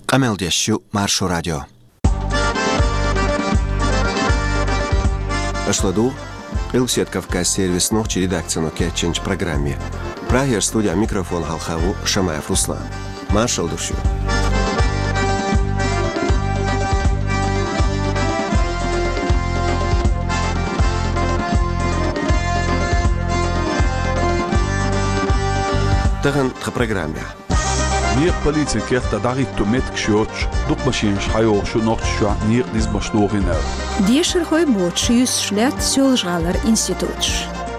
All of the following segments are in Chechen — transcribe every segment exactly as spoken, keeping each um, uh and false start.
Къамел деш ю Маршо радио. Аша ладугӀу Къилбаседа Кавказ сервисан нохчийн редакцино кечйинчу программе. Прагера студехь микрофон хьалха ву Шамаев Руслан. Маршалла ду шуьга. Тахана тхан программехь. Некъа полицин кехатахь дӀахӀитто меттигаш йоцуш, дукха машинаш хьайогӀуш ю Нохчийчохь некъан низамаш дохийна аьлла. Дешархой боцуш юьсуш лаьтта Соьлжа-ГӀалара институташ.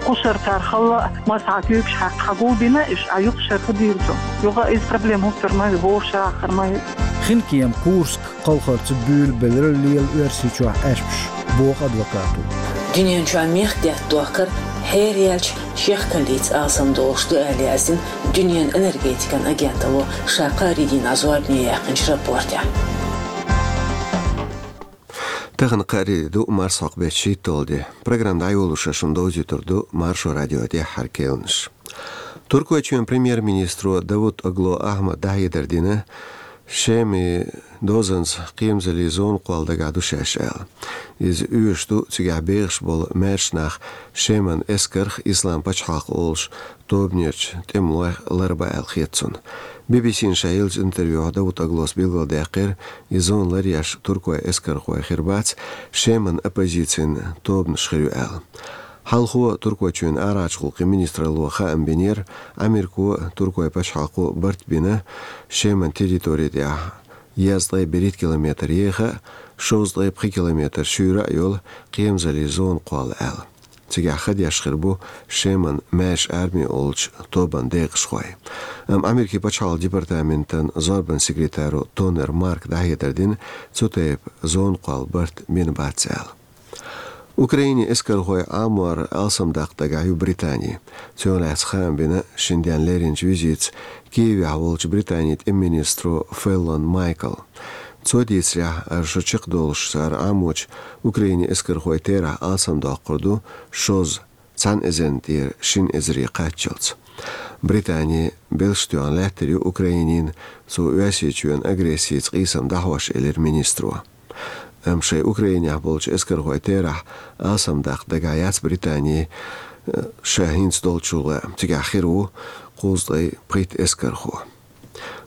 Кху шарахь цара хала а, массо а куьйгаш хьаькхна хьагулбина, уьш а юха шарахь дийр ду. Юха иза проблема хӀуттур ма ю, вовшахтар ма ю. Хинкема, Курск кхалхарца буьйлабелира лела Оьрсийчохь Ӏаьрпаш, боху адвокато. Дуьнен чохь мехкдаьтта дохкар хьераяьлча шехкаллица алсамдолуш ду аьлла яздина Дуьненан энергетикан агенталло ша кхаарин дийнахь зорбане яьккхинчу рапортехь. Тахана кхаарин де ду, марсхьокху беттан шийтталгӀа де. Программа дӀайолош шуна довзуьйтур ду Маршо радион тӀаьххьара кхаьънаш. Туркойчоьнан премьер-министро Давутоглу Ахьмада дӀахьедар дина, Шеман дозанца кхерамзаллин зона кхолла дагахь ду шаьш аьлла. Иза оьшуш ду, цигахь бехаш болу маьрша нах Шеман эскарх, Ислам пачхьалкх олуш тобанерчу тӀемалойх ларбан аьлла хета цунна. Би-би-сина ша еллачу интервьюхь Давутоглус билгалдаьккхира, и зона ларъеш туркойн эскархой хир бац, Шеман оппозицин тобанаш хир ю аьлла. Хьалхо Туркойчоьнан арахьарчу гӀуллакхийн министралло хаам бинера, Америко а, туркойн пачхьалкхо а барт бина Шеман территори тӀехь езткъе берхӀитта километр еха а, шовзткъе пхи километр шуьйра а йолу кхерамзаллин зона кхолла аьлла. Цигахь ха деш хир бу Шеман маьрша арми олучу тобанан декъашхой. Амма Америкин пачхьалкхан департаментан зорбанан секретаро Тонер Марка дӀахьедар дина, цу тайпа зона кхолла барт бина бац аьлла. Украинин эскархой Ӏамор алсамдаккха дагахь ю Британи. Цунах лаьцна хаам бина шина денна леринчу визитца Киевехь волчу Британин тӀеман министро Феллон Майкла. Цо дийцарехь, хӀара шо чекхдолуш цара Ӏамочу Украинин эскархойн терахь алсамдоккхур ду шозза, цхьана эзарна тӀера шина эзаре кхаччалц. Британи белш тоьхна лаьттар ю Украинина, цо Оьрсийчоьнан агрессица къийсам дӀахьош, элира министро. Амма шайн Украинехь болчу эскархойн терахь алсамдаккха дагахь яц Британи, э, ша хӀинца долчул а, цигахь хир ву кхузткъе пхийтта эскархо.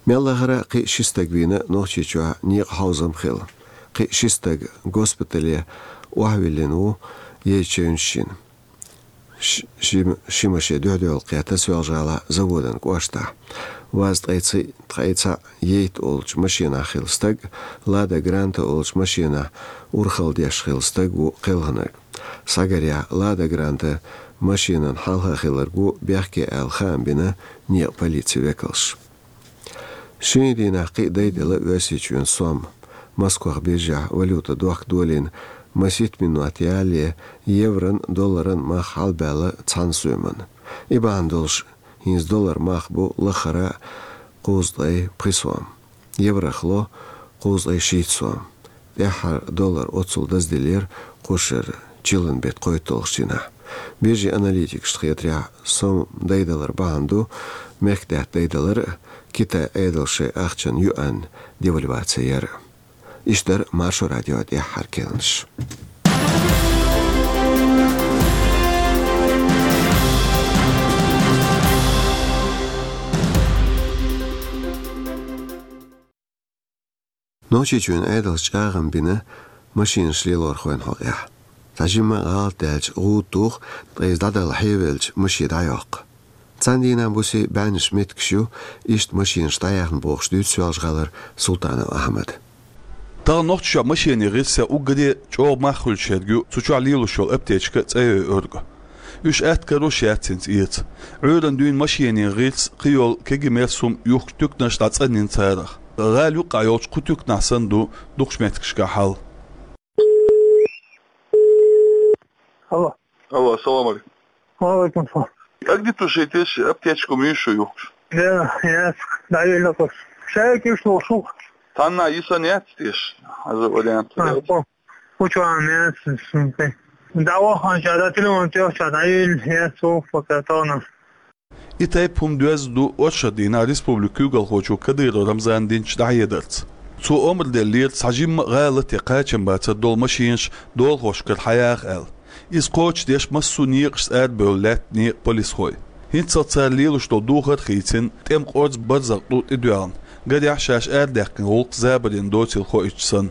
Мел лахара кхин а ши стаг вийна Нохчийчохь некъан хьовзам хилла. Кхин а ши стаг госпитале охьавиллина ву яйта чевнаш йина. Ш-, ши, ши машен дуьхь-дуьхьал кхетта Соьлжа-ГӀалахь Заводан кӀоштахь. Ваз ткъе ца, ткъе цхьаъ яйта олучу машенахь хилла стаг, Лада Гранта олучу машенахь урхалла деш хилла стаг ву кхелхинарг. Схьагарехь, Лада Гранта машенан хьалха хилларг ву бехке аьлла хаам бина некъан полицин векалша. Шина дийнахь кхин а дайделла Оьрсийчоьнан сом. Москвахь биржехь валюта дохка долийна, масийтта минот ялале еврон, долларан мах хьалабаьлла цхьана соьмана. И бахьана долуш, хӀинца долларан мах бу лахара кхузткъе пхи сом, еврох ло кхузткъе шийтта сом. ТӀаьххьара доллар оццул даздиллира кху шарахь чиллан беттан кхойтталгӀачу дийнахь. Биржин аналитикашна хетарехь, сом дайдалар бахьана ду мехкдаьтта дайдалар а, Китайн Ӏедалша шайн ахчанан юань девальваци яр а. Иштта дара Маршо радион тӀаьххьара кхаьънаш. Нохчийчоьнан Ӏедалша чӀагӀам бина машинаш лелорхойн хьокъехь. Цхьа жимма а гӀалат даьлча гӀуда туху, ткъа иза дӀадала хьевелча машен дӀайоккху. Цхьана дийнахь буьйса бӀеннаш меттигаш ю иштта машинаш дӀаяьхна бохуш, дуьйцу Соьлжа-ГӀалара Султанов Ахьмада. Тахана Нохчийчохь машенийн гӀирсех уггаре а чӀогӀа мах хуьлуш ерг ю цу чохь лелош йолу аптечка цӀа йойург. Уьш атта карош яц хӀинца эца. Ӏуьйранна дуьйна машенийн гӀирс, кхийолу кегий-мерса хӀума юхкучу туьканаш дӀацӀанйина царах. ГӀала юккъехь йолчу кху туьканахь санна ду дукхачу меттигашкахь хьал. Алло. Алло, ассаламу алейкум. Ва алейкум салам. Как где-то же эти аптечку Мишу юхкуш? Да, яц, дӀавелла кху. Шайга уьш лошу. Цхьанна йисан яц теш, хьажа вариант. А, яц. По-, почуан яц, сумпе. ДӀаваханча, да, телефон тӀехча, дӀавелла, яц, вовх, пока тона. И тайпа хӀума доьзна ду оршот дийнахь республикан куьйгалхочо Кадыров Рамзана динчу дӀахьедарца. Цо омра деллера цхьа жимма а гӀала тӀе кхачам бацар долу машенаш долахошкара хьаяха аьлла. Иза кхочушдеш массо а некъашца арабевлла лаьтта некъан полисхой. ХӀинццалц цара лелош долу духар а хийцина, тӀеман къорза барзакъ тӀу тӀедоьлхуш, гарехь шаьш арадаьккхина гӀуллакх забарна доцийла хоуьйтуш санна.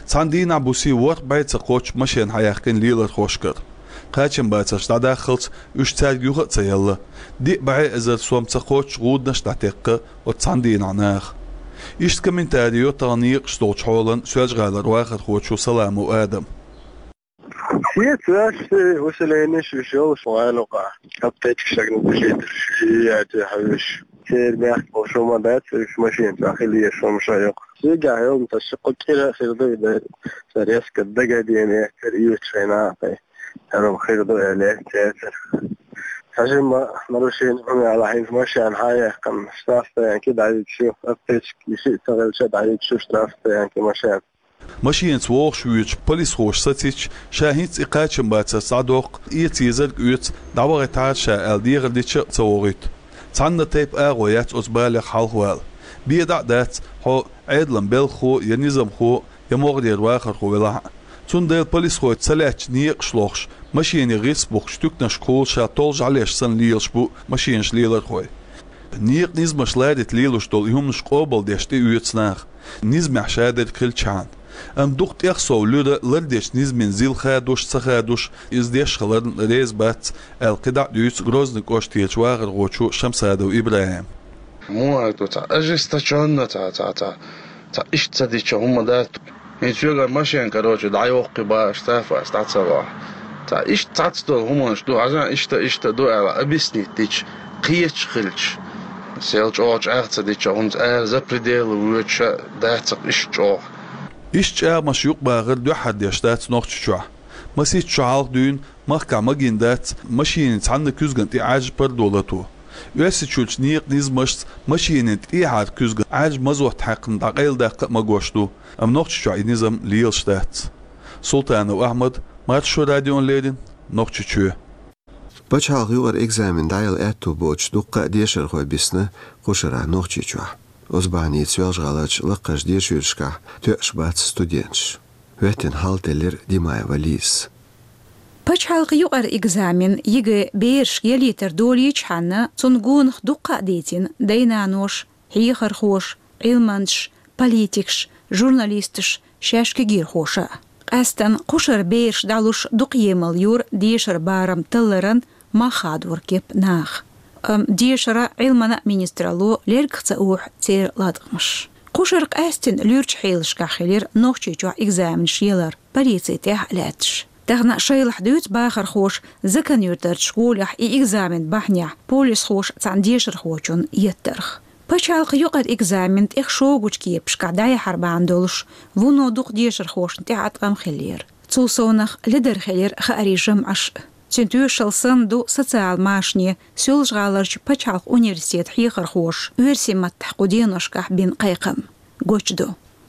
Цхьана дийнахь буса ворхӀ бӀе ца кхоччу машен хьаяьккхина лелорхошкара. Кхачам бацарш дӀадаххалц уьш цаьрга юха а ца елла, диъ бӀе эзар сом ца кхоччу гӀуданаш а дӀатекхна оцу цхьана дийнахь наха. Иштта комментари йо тахана некъаш долчу хьолан Соьлжа-ГӀалара вахархочо Саламов Адама. Шеца ваьш, усиленеш уьш йолуш ван лукъа. Аптечка шагна бежитар ши яти хьуьш. Церан бехк болуш хӀума дац, уьш машина чохь хила еш хӀума ша йоккху. Шегахь йолу тасша кху кӀира а хир ду и дай. Сан резко дагадене, цер оьцуш хьайна а кхай. ХӀара хир ду аьлла, цецара. Хьажимма нарушение хӀума яла хьайна машина хьаяьккхина, штрафстоянке дӀайигаш ю, аптечка йиси а ца хилча дӀайигаш ю штрафстоянке машина. Машинаца вогӀуш воьдучу полисхоша сацийча, ша хӀинца и кхачам бацарца дӀадоккху, эца езарг оьцу, дӀавахийтахьара ша аьлла дехар дича а ца вогӀуьйту. Цхьанна тайпа агӀо яц оцу балех хьалхавала. Бен дӀа а дац, хьо Ӏедалан белхахо я низамхо, я могӀарера вахархо велахь а. Цундела полисхой ца лаьттачу некъаш лохуш, машенийн гӀирс бухкучу туьканашкахула ша толжа хьалеш санна лелаш бу машенаш лелорхой. Некъан низамаш ларита лелош долу и хӀуманаш къобалдеш тӀеоьцу наха. Низамехь шадерг хилчхьана. Амма дукха тӀех сов луьра лардечу низамийн зил хадош а, ца хадош а, иза деш хиларна реза бац, аьлла кхидӀа а дуьйцу Грозный кӀоштерчу вахархочо Шамсадов ИбрахӀима. Муха аьлла ду, цхьа ожесточённо, цхьа, цхьа, цхьа, цхьа иштта ца дича хӀума дац. ХӀинца соьгара машен, короче, дӀайоккху бааш, штраф ас дӀа ца вахь. Цхьа иштта цхьацца долу хӀуманаш ду, хьажа, иштта, иштта ду аьлла, объяснить дича, кхеташ хилча. Сел чӀогӀа чӀагӀ ца дича, хӀунца ара за пределы воьдуш а дац-кх иштта чӀогӀа. Иштта чӀагӀамаш юкъабахар дуьххьара деш дац Нохчийчохь. Масийтта шо хьалха дуьйна махкахь магийна дац машенийн цхьанна куьзгана тӀе Ӏаьржа пардо лато. Оьрсийчуьрчу некъан низамашца машенийн тӀехьара куьзгана Ӏаьржа мазот хьаькхна дӀакъайладаккха а магош ду, амма Нохчийчохь и низам лелаш дац. Султанов Ахьмад, Маршо радиона леррина, Нохчийчоь. Пачхьалкхан юкъара экзамен дӀаяла аьтто боцуш дуккха а дешархой бисна кхушара Нохчийчохь. Оцу бахьаница Соьлжа-ГӀаларчу лакхарчу дешархошкахь тоьаш бац студенташ. ХӀоьттина хьал теллира Димаева Лизас. Пачхьалкхан юкъара экзамен, ЕГЭ, берашка ялийтар долийчхьана, цунна гонах дуккха а дийцина дай-наноша, хьехархоша, Ӏилманчаша, политикаша, журналисташа, шаьш кегийрхоша а. Къаьстина кхушара бераш дӀалуш дукха емал йора дешара барам талларан мах хадоран кеп наха. Амма дешара, Ӏилмана министралло лергах ца охьу церан латкъамаш. Кхушара къаьстина луьрачу хьелашкахь хилира Нохчийчохь экзаменаш ялар, полици тӀехь а лаьтташ. Тахана шайлахь дуьйцу бахархоша Закан-Юьртарчу школехь и экзамен бахьанехь полисхоша цхьана дешархочунна еттарх. Пачхьалкхан юкъара экзамен тӀех шогачу кепашкахь дӀаяхьар бахьана долуш, вуно дукха дешархошна тӀехь а ткъам хиллера. Цул совнах ледара хилира хаарийн жамӀаш. Цуьнан тоьшалла санна ду социал машане Соьлжа-ГӀаларчу пачхьалкхан университетан хьехархоша оьрсийн маттахь кху деношкахь бина кхайкхам. Гучудо.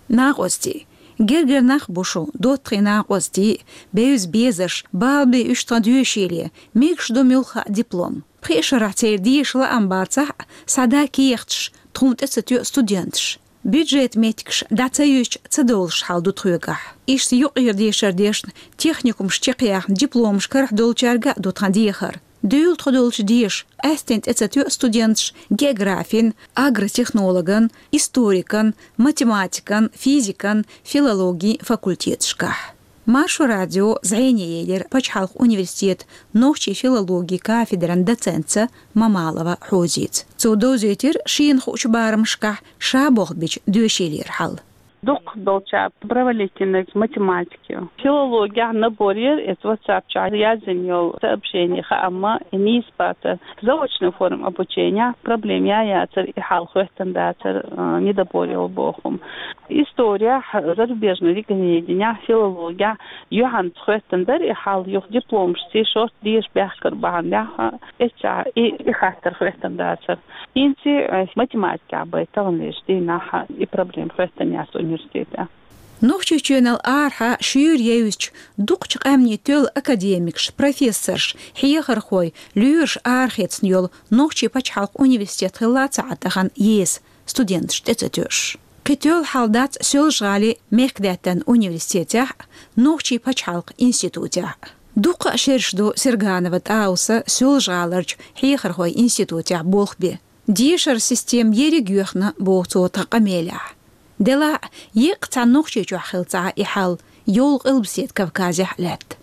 Накъостий. Гергара нах бу шу, доттагӀий накъостий, бевза безарш, бала бе уьш тхан доьшийле, мегаш ду муьлхха а диплом. Пхи шарахь церан деша лаам бацахь а, схьадан кехаташ, тхуна тӀе ца тоьа студенташ. Бюджетан меттигаш дӀа ца юьзча, ца довлуш хьал ду тхоьгахь. Иштта юкъара дешар дешна, техникумаш чекхъяьхна, дипломаш карахь долчаьрга а ду тхан дехар. Дуьйла тхо долчу деша, къаьсттина тӀе ца тоьа студенташ географин, агротехнологан, историкан, математикан, физикан, филологин факультеташкахь. Маршо радио зӀене елира пачхьалкхан университетан нохчийн филологин кафедран доцентца Мамалова Хьозица. Цо довзийтира шена хуучу барамашкахь ша болх бича доьшийлера хьал. Дукха долча провалить динарг математика ю. Филологехь набор яра, эца WhatsApp чохь яздина йолу сообщение хаамма, и нийса бацара. Заочная форма обучения, проблема я яцара, и хьал хӀоьттина дацара, а, недобор йолу боху. Историяхь, зарубежный регионеденехь, филологехь юьхьанца хӀоьттина дара и хьал, юха дипломашций шорта деша баьхкар бахьанехь, эццахь и, и хаттар хӀоьттина дацара. ХӀинца, э, математикехь бай таханлерчу дийнахь и проблема хӀоьттина яц университетехь. Нохчийчоьнал арахьа шуьйра евзачу дукхачу къаьмнийн тоьлла академикаш, профессорш, хьехархой, лоьраш арахецна йолу Нохчийн пачхьалкхан университет хилла ца Ӏа тахана еса, студенташ тӀе ца тоьуш. Кхы тоьлла хьал дац Соьлжа-ГӀалий мехкдаьттан университетехь а, Нохчийн пачхьалкхан институтехь а. Дуккха а шераш ду Серганова ТӀауса Соьлжа-ГӀаларчу хьехархойн институтехь болх бен. Дешаран система ерриг а йоьхна, боху цо тхан къамелехь. Делахь а, еккъа цхьана Нохчийчохь хилла ца Ӏа и хьал, йолу Къилбаседа Кавказехь а лаьтта.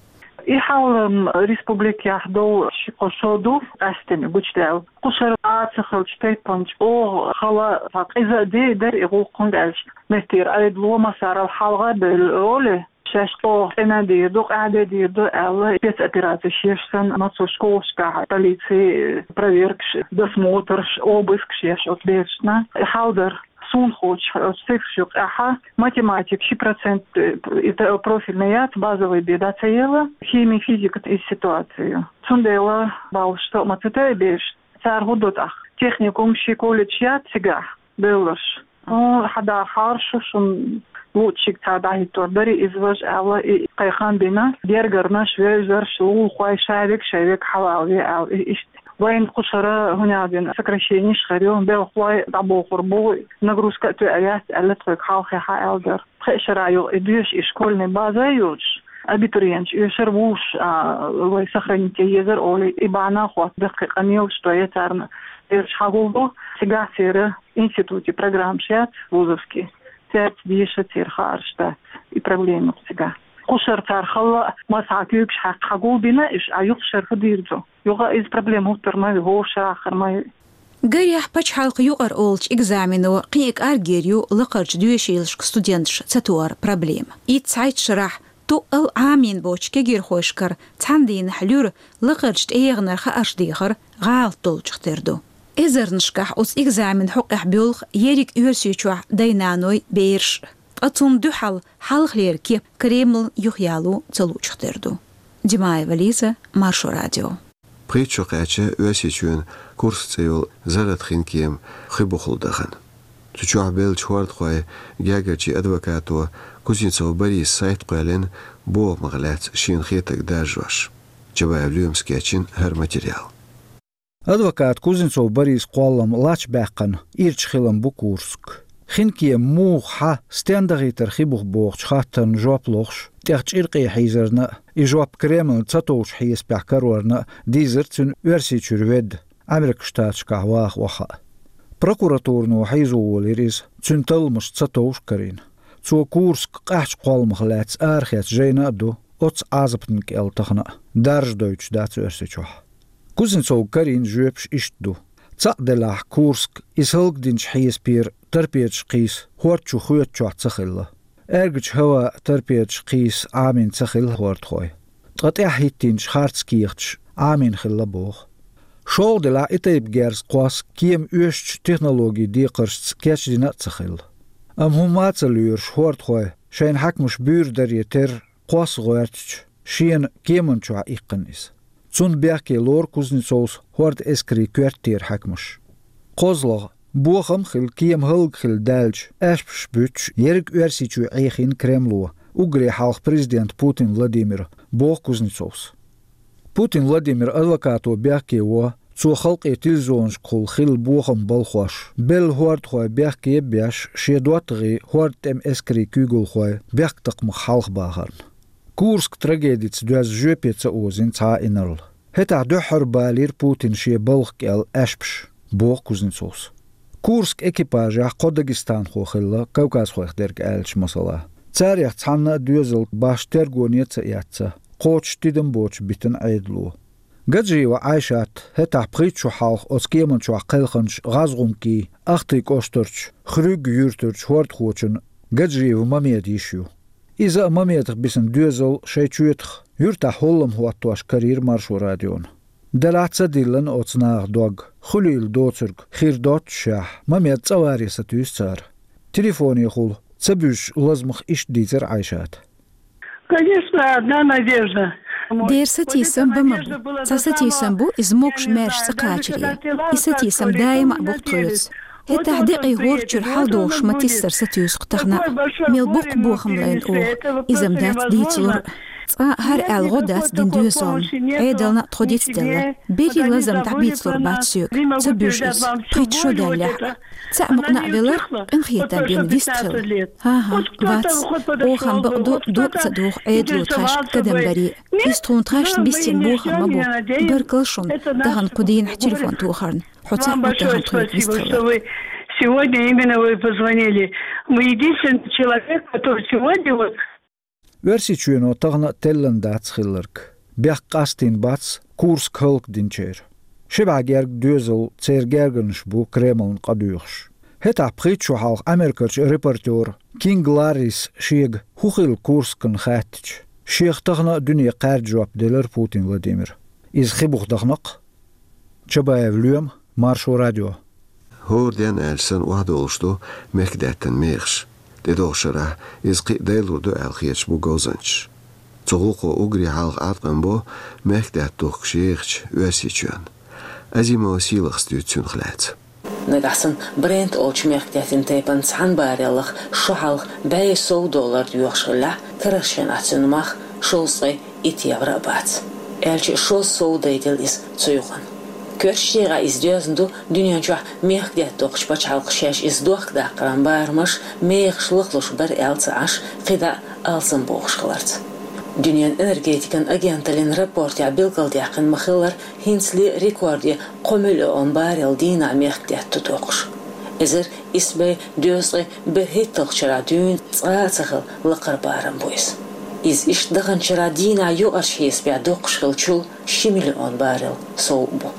И хьал, м, республикехь долу ши-кхо шо ду къаьстина гучудаьлла. Кхушара а ца хиллачу тайпана чӀогӀа хала, цхьа къиза а де дара и гӀуллакх, хӀунда аьлча меттера Ӏедало массарал хьалха а бевлла олий, шаьш чӀогӀа цӀена дийр ду, къаьхьа де дийр ду аьлла, спецоперацеш еш санна, массо школашкахь полицин проверкаш, досмотрш, обыскаш еш оцу берашна. И хьал дара. Суна хууш, оцу цифраш юкъахь математика ши процент, э, и т-, профильный яц, базовый бен дӀа ца елла, хими, физика и ситуацию. Цундела баллаш тоъ ма ца тойу бераш. Цара хӀун до тӀаккха? Техникум ши колледж яц цигахь бевлларш. Ну, хьан дахьара шу, шуна луучуьнга цхьа дӀахӀиттор дарий, иза важа аьлла, и кхайкхам бина, гергарнаш, вевзарш, лулахой, шаверг, шаверг хьалалаве аьлла, и иштта. Вайн кхушара, хӀунда аьлла, сокращенеш хир ю, белхалой дӀабохур бу, нагрузка а тоьар яц аьлла, тхоьга хьалхе хьа аьлла дара. Пхеа шарахь юкъа и доьшу и школьный база а йоцуш, абитуриенташ оьшура вуш, а, вай сохранить ян езара олий, и бахьана а хӀотта даккхий къамелаш тоье царна, бераш хьагулду, цигахь церан институте программаш яц, вузовский, цаьрца деша церан хаарш дац, и проблема ю цигахь. Кхушара цара хала а, массахьа куьйгаш хьаькхна хьагулбина, уьш а юха шарфа дийр ду. Юха иза проблема хӀуттур ма ю, хӀора шарахь хир ма ю. Гарехь, пачхьалкхан юкъара олучу экзамено кхин а кӀаргйийр ю лакхарчу доьшийлашка студенташ ца тохар проблема. Итт цхьайтта шарахь тоъал Ӏамийна боцчу кегийрхошкара цхьана дийнахь луьра лакхарчу тӀегӀанара хаарш дехар гӀалат долчух тера ду. Эзарнашкахь оцу экзаменан хьокъехь боьлху ерриг Оьрсийчохь дай-наной, бераш. Ткъа цунна дуьхьал хьалхалера кеп Кремлна юхаяло ца луучух тера ду. Димаева Лиза, Маршо радио. Пхийтта шо кхаьчна Оьрсийчоьнан Курск цӀе йолу зарратан хинкема хи бухахула дахана. Цу чохь беллачу хӀордахойн гергарчийн адвокато Кузнецов Бориса сайта кхоьллина бохамах лаьцна шена хетарг даржош. Чабаев Лоьмас кечйина хӀара материал. Адвоката Кузнецов Борисан кхоллам лач баьккхина ирча хилам бу Курск. Хинкема муха, хьан, стенна дахийтара хи буха бохучу хаттарна жоп лохуш, тӀех чӀиркъе хьийзарна а, и жоп Кремлна ца товчу хьесапехь карорна а дийзира цуьнан Оьрсийчуьра ведда, Ӏамеркан Штаташкахь ваха охьа а. Прокуратурано хьийзо волийра иза, цуьнан талламаш ца товш а карийна. Цо Курск къаьхьачу кхолламах лаьцна арахецна жайна а ду, оццу Ӏазапна кӀел тахана а, даржа дойтуш дац Оьрсийчохь. Кузнецовга карийна жоьпаш иштта ду. Цхьаъ делахь, Курск, иза хӀаллакдинчу хьесапера торпедаш кхийса хӀорда чу хоьтучохь ца хилла. Аьргачу хӀаваъ торпедаш кхийса Ӏамийна ца хилла хӀордахой. Ткъа тӀаьхьа хӀиттийначу харц кехаташ Ӏамийна хилла боху. ШолгӀа делахь, и тайпа герз кхосса кема оьшучу технологийн декхаршца кечдина а ца хилла. Амма хӀумма а ца лоьруш, хӀордахой, шайна хьаькамаш буьйр даре терра, кхосса гӀоьртича, шена кеман чохь иккхина иза. Цунна бехке лору Кузнецовс хӀордан эскарийн коьртера хьаькамаш. КхозлагӀа, бохам а хилла, кема хӀаллакьхилла даьлча, аьшпаш буьттуш, ерриг Оьрсийчоь Ӏехийна Кремло, уггаре хьалха президента Путин Владимира, боху Кузнецовс. Путин Владимиран адвокато бехке во, цо халкъе телевизионашкахула хилла бохам балхош, белла хӀордахой бехке а беш, шен доттагӀий, хӀордан тӀеман эскарийн куьйгалхой бехктакхамах хьалхабахарна. Курск трагедица доьзна жоьпе ца озийна цхьа а инарла. ХӀетахь дуьххьара балийра Путина шен балха кӀел аьшпаш, боху Кузнецовс. Курск экипажехь кхо дагестанхо хилла, кавказхойх дерг аьлча, масала. Царех цхьанна а доьзал башха тергоне а ца эцна, кхочуш тидам боцуш битина Ӏедало. Гаджиева Ӏайшат хӀетахь пхийтта шо хьалха оцу кеман чохь кхелхинчу гӀазгӀумкийн Ахтын кӀоштарчу Хрюг юьртарчу хӀордахочун Гаджиев Мамедан йиша ю. Иза а Мамедах бисина доьзал шайн чоьтах юьртахь хӀоллам хӀоттош карийра Маршо радиона. Делахь ца диллина оцу наха дог, хуьлийла доцург хир доццушехь, Мамед цӀа варе сатуьйсу цара. Телефонехула ца буьзучу лазамах иштта дийцира Ӏайшата. Конечно, одна надежда. Дера сатийсам бан ма бу. Цхьа сатийсам бу, иза могуш-маьрша цӀа кхачаре. И сатийсам даима а бу тхоьца. ХӀетахь декъий хӀорда чуьра хьаладогӀуш ма тиссара сатуьйсу-кх тахана а. Мел боккха бохам лайна оха, иза-м дац дийцалур. Цкъа хӀара аьлла гӀо дац дина доьзална. Ӏедална а тхо дицделла. Берриг лазам дӀабийцалур бац соьга. Ца буьжу иза. Пхийтта шо даьллехь а. Цхьаъ мукъана а велар, къинхетам бина вистхила. ХӀан-хӀа, вац. Оха-м бакъду, дог ца доху Ӏедало тхаьшка кадам баре. Иза тхуна тхаьшна биссина бохам ма бу. Баркалла шуна, тахана кху дийнахь телефон тохарна. Хьо цхьаъ ву тахана тхоьга вистхиларна. Сегодня именно вы позвонили. Вы единственный человек, который сегодня вот Оьрсийчоьно тахана а теллина дац хилларг. Бехк къастийна бац Курск хӀаллакдинчеран. Ши бӀе герга доьзал, церан гергарнаш бу Кремлна къадоьхуш. ХӀетахь пхийтта шо хьалха Америкерчу репортёра Кинг Ларрис шега хӀун хилла Курскана хаьттича, шех тахана а дуьне кхаьрда жоп делира Путин Владимира. Иза хи буха дахана-кх. Чабаев Лоьма, Маршо радио. ХӀора ден аьлча санна охьадолуш ду мехкдаьттан мехаш. ТӀедогӀучу шарахь иза кхин а дайлур ду аьлла хеташ бу говзанчаш. Цу гӀуллакхо уггаре хьалха Ӏаткъам бо мехкдаьтта духкуш ехачу Оьрсийчоьнна. Азимова Сийлахас дуьйцу цунах лаьцна. Нагахь санна Брент олучу мехкдаьттан тайпана цхьана баррелах шо хьалха бӀе сов доллар доьхуш хиллехь, карарчу хенахь цуьнан мах шовзткъе итт евро а бац. Аьлча а шозза сов дайделла иза цу юкъана. Коьртачу декъехь иза доьзна ду дуьнен чохь мехкдаьтта доккхучу пачхьалкхаша шаьш иза дохкадаккхаран барамаш, мехаш лахлуш бара аьлла ца Ӏаш, кхидӀа а алсамбохуш хиларца. Дуьненан энергетикан агенталлин рапортехь билгалдаьккхина ма-хиллара, хӀинцале а рекорде кхо миллион баррел дийнахь мехкдаьтта ду доккхуш. Эзар исс бӀе дезткъе берхӀитталгӀачу шарахь дуьйна цкъа а ца хилла лакхара барам бу иза. Иза иштта даханчу шарахь дийнахь юкъарчу хьесапехь доккхуш хиллачул ши миллион баррел сов а бу.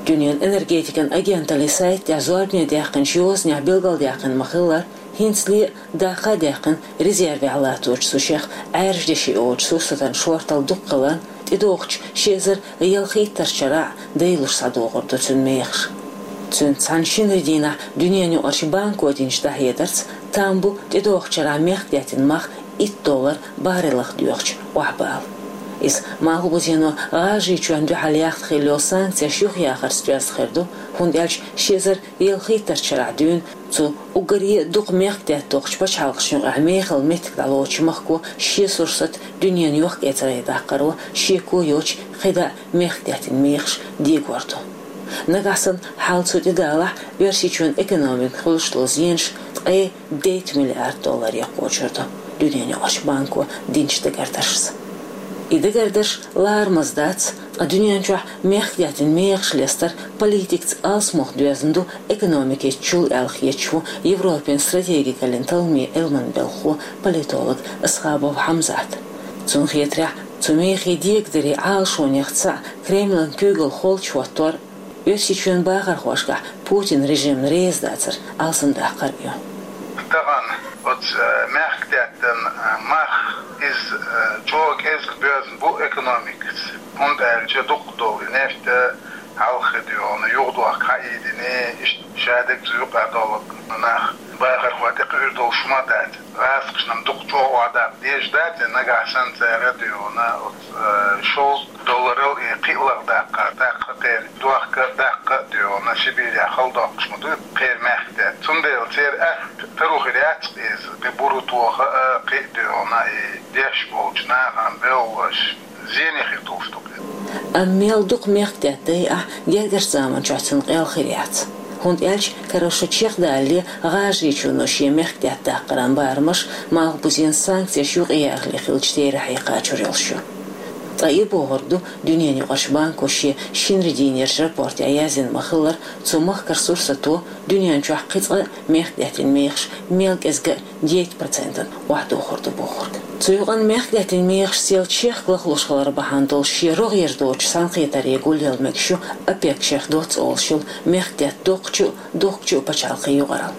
Дуьненан энергетикан агенталлин сайтехь зорбане даьккхинчу йозанехь билгалдаьккхина ма-хиллара, хӀинцале а даккха а даьккхина резервехь латточу цу шех Ӏаьржа деши йолчу сурсатан шорталла дукха хиларна, тӀедогӀучу ши эзар ялхиттарчу шарахь а дайлуш схьадогӀур ду цуьнан мехаш. Цуьнца цхьаьна шинарин дийнахь Дуьненан юкъарчу банко динчу дӀахьедарца, там бу тӀедогӀучу шарахь мехкдаьттан мах итт доллар баррелах доьхучу охьабала. Иза Малхбузено ГӀажарийчоьнна дуьхьал яхна хилла йолу санкцеш юхаяхарца доьзна хир ду, хӀунда аьлча ши эзар ялхиттарчу шарахь дуьйна цу уггаре а дукха мехкдаьтта доккхучу пачхьалкхашна юкъахь мехала меттиг дӀалоцучу махко шен сурсат дуьненан йохк-эцаре даккхаро шеко йоцуш кхидӀа а мехкдаьттан мехаш дегор ду. Нагахь санна хьал цу тӀе далахь, Оьрсийчоьнан экономикана хуьлуш долу зенаш ткъе дейтта миллиард долларе кхочур ду, Дуьненан юкъарчу банко динчу дагардаршца. И дагардарш ларамаза дац, ткъа дуьнен чохь мехкдаьттан мехаш лестар политикаца алсамох доьзна ду экономикечул аьлла хеташ ву Европин стратегикаллин талламийн Ӏилманан белхахо, политолог Асхабов Хьамзат. Цунна хетарехь, цу мехий дегадаре Ӏалашонех цхьаъ Кремлан куьйгалла холчу хӀоттор, Оьрсийчоьнан бахархошкахь Путин режимна реза дацар алсамдаккхар а ю. Тахана оцу, э, мехкдаьттан, э, мах, иза, э, чӀогӀа кӀезиг боьзна бу экономикаца, хӀунда аьлча дукха долу и нефть, э, хьалххе дуьйна юхадохка хьаийдина, иштта шадерг цу юкъа долу нах бахархой тӀекхуьур долуш ма дац. ГӀазкхашна-м дукха чӀогӀа охьадаккха дезаш дац, нагахь санна цара дуьйна оцу, э, шовзткъа долларал и кхиаллах даккха, даккха а кхеран дохка, даккха а дуьйна Сибирехь хала доккхуш ма ду кхеран мехкдаьтта. Цундела церан атта таро хир яц-кх иза, кхин буро тоха а, кхин а дуьйна и деш болчу нахана бевллаш. Зене хир долуш ду-кх. Амма мел дукха мехкдаьтта дайахь, гергарчу заманчохь цунна къел хир яц. ХӀунда аьлча карарчу шо чекхдалале ГӀажарийчоьно шен мехкдаьтта даккхаран барамаш Малхбузен санкцеш юкъаярхале хиллачу терахье кхачор йолуш ю. Ткъа и бохург ду, Дуьненан юкъарчу банко шен шинарин дийнерчу рапортехь яздина ма-хиллара, цу махкара сурсато дуьнен чохь кхин цкъа а мехкдаьттан мехаш мел кӀезиг а дейтта процентана охьадохур ду бохург. Цу юкъана мехкдаьттан мехаш сел чехка лахлуш хилар бахьана долуш шен рогӀера доцучу цхьаьнакхетаре гулъяла мегаш ю ОПЕК-ш доцца олуш йолу мехкдаьтта доккхачу а, дохкучу а пачхьалкхийн юкъаралла.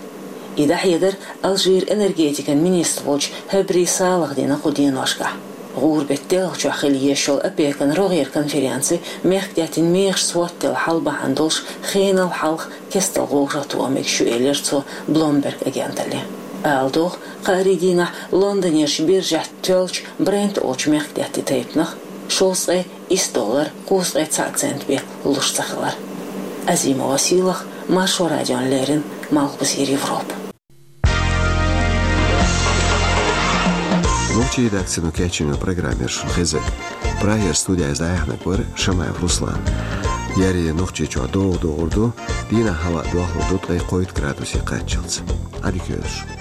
И дӀахьедар Алжиран энергетикан министр волчу Хьабри Салаха дина кху деношкахь. ГӀуран-беттан делхачохь хила езаш йолу ОПЕК-ан рогӀера конференци мехкдаьттан мехашца хӀоттаделла хьал бахьана долуш хенал хьалха кестта гӀовгӀа тоха мегаш ю, элира цо Bloomberg агенталле. Ала догӀу, кхаарин дийнахь Лондонерчу биржехь тоьллачу Брент олучу мехкдаьттан тайпанах шовзткъе исс доллар кхузткъе цхьаъ цент бен луш ца хилар. Азимова Сийлаха, Маршо радиона леррина, Малхбузера Европа. Ну, Нохчийн редакцино кечйина программа яра шуна хезар. Прагера студехь дӀаяьхьнарг вара Шамаев Руслан. Еарин Нохчийчохь догӀа догӀур ду, дийнахь хӀаваъ дохлур ду ткъе кхойтта градусе кхаччалц. Ӏадика йойла шуна.